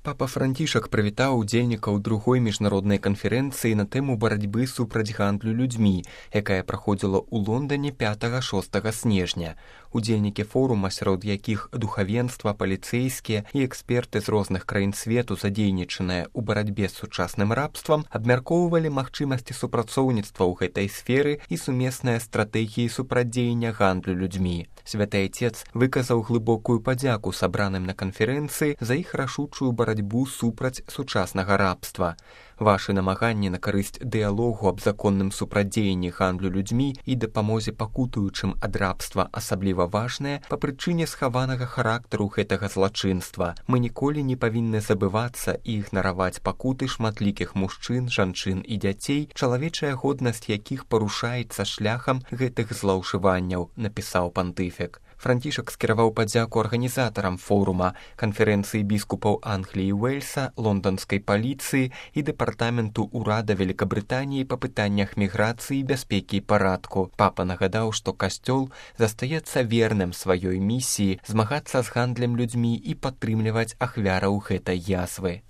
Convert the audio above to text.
Папа Францішак прывітаў удзельнікаў другой міжнароднай канферэнцыі на тэму барацьбы супраць гандлю людзьмі, якая праходзіла ў Лондоне 5-6 снежня. Удзельнікі форума, сярод якіх духавенства, паліцэйскія і эксперты з розных краін свету, задзейнічаныя ў барацьбе з сучасным рабствам, абмяркоўвалі магчымасці супрацоўніцтва ў гэтай сферы і сумесныя стратэгіі супрацьдзеяння гандлю людзьмі. Святы Айцец выказаў глыбокую падзяку сабраным на канферэнцыі за іх рашучую барацьбу супраць сучаснага рабства. Вашы намаганні на карысць дыялогу аб законным супрацьдзеянні гандлю людзьмі і дапамозе пакутуючым ад рабства асабліва важныя па прычыне схаванага характару гэтага злачынства. Мы ніколі не павінны забывацца і ігнараваць пакуты шматлікіх мужчын, жанчын і дзяцей, чалавечая годнасць якіх парушаецца шляхам гэтых злоўжыванняў, напісаў пантыфік. Францішак скіраваў падзяку арганізатарам форума, канферэнцыі біскупаў Англіі і Уэльса, лонданскай паліцыі і дэпартаменту ўрада Великабрытаніі па пытаннях міграцыі, бяспекі і парадку. Папа нагадаў, што касцёл застаецца верным сваёй місіі змагацца з гандлем людзьмі і падтрымліваць ахвяраў гэтай язвы.